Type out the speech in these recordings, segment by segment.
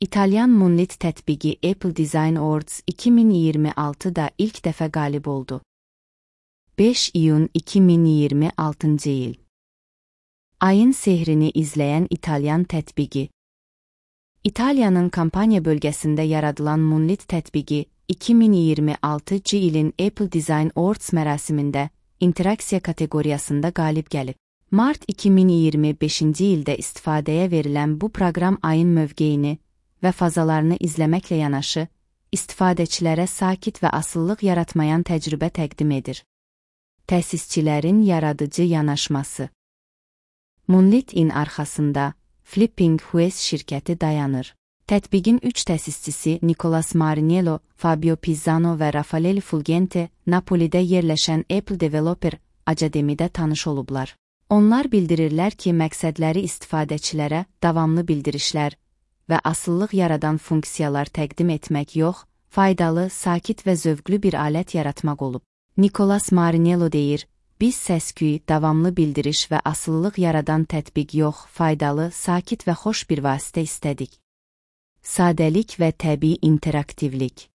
İtalyan Moonlit tətbiqi Apple Design Awards 2026-da ilk dəfə qalib oldu. 5 iyun 2026-cı il. Ayın sehrini izləyən İtalyan tətbiqi. İtaliyanın Kampaniya bölgəsində yaradılan Moonlit tətbiqi 2026-cı ilin Apple Design Awards mərasimində interaksiya kateqoriyasında qalib gəlib. Mart 2025-ci ildə istifadəyə verilən bu proqram ayın mövqeyini və fazalarını izləməklə yanaşı, istifadəçilərə sakit və asıllıq yaratmayan təcrübə təqdim edir. Təsisçilərin yaradıcı yanaşması. Moonlit-in arxasında Flipping Wheels şirkəti dayanır. Tətbiqin 3 təsisçisi Nicolas Marinello, Fabio Pizzano və Raffaele Fulgente Napolidə yerləşən Apple Developer Academy'də tanış olublar. Onlar bildirirlər ki, məqsədləri istifadəçilərə davamlı bildirişlər və asıllıq yaradan funksiyalar təqdim etmək yox, faydalı, sakit və zövqlü bir alət yaratmaq olub. Nicolas Marinello deyir, biz səs-küy, davamlı bildiriş və asıllıq yaradan tətbiq yox, faydalı, sakit və xoş bir vasitə istədik. Sadəlik və təbii interaktivlik.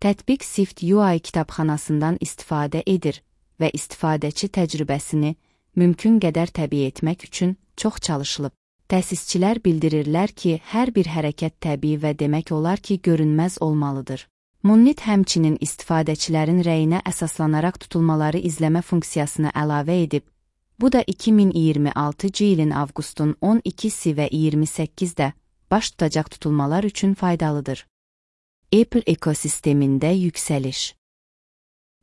Tətbiq Swift UI kitabxanasından istifadə edir və istifadəçi təcrübəsini mümkün qədər təbii etmək üçün çox çalışılıb. Təsisçilər bildirirlər ki, hər bir hərəkət təbii və demək olar ki, görünməz olmalıdır. Moonlit həmçinin istifadəçilərin rəyinə əsaslanaraq tutulmaları izləmə funksiyasını əlavə edib. Bu da 2026-cı ilin avqustun 12-si və 28-də baş tutacaq tutulmalar üçün faydalıdır. Apple ekosistemində yüksəliş.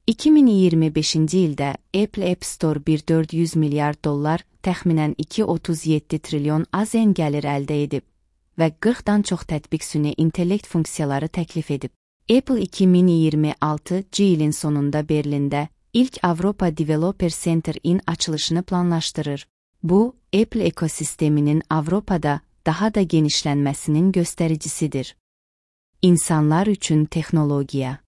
2025-ci ildə Apple App Store $1,400 milyar, təxminən 2,37 trilyon AZN gəlir əldə edib və 40-dan çox tətbiq süni intellekt funksiyaları təklif edib. Apple 2026-cı ilin sonunda Berlində ilk Avropa Developer Center-in açılışını planlaşdırır. Bu, Apple ekosisteminin Avropada daha da genişlənməsinin göstəricisidir. İnsanlar üçün texnologiya.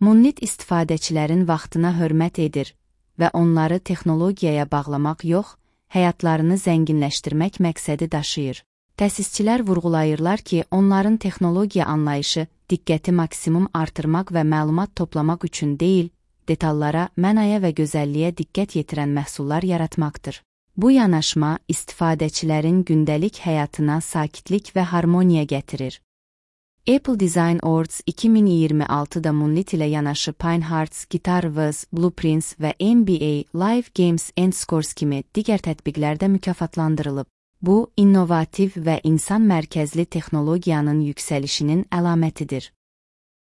Moonlit istifadəçilərin vaxtına hörmət edir və onları texnologiyaya bağlamaq yox, həyatlarını zənginləşdirmək məqsədi daşıyır. Təsisçilər vurğulayırlar ki, onların texnologiya anlayışı diqqəti maksimum artırmaq və məlumat toplamaq üçün deyil, detallara, mənaya və gözəlliyə diqqət yetirən məhsullar yaratmaqdır. Bu yanaşma istifadəçilərin gündəlik həyatına sakitlik və harmoniya gətirir. Apple Design Awards 2026-da Moonlit ilə yanaşı Pinehearts, Guitar-Wiz, Blueprints və NBA Live Games and Scores kimi digər tətbiqlərdə mükafatlandırılıb. Bu, innovativ və insan mərkəzli texnologiyanın yüksəlişinin əlamətidir.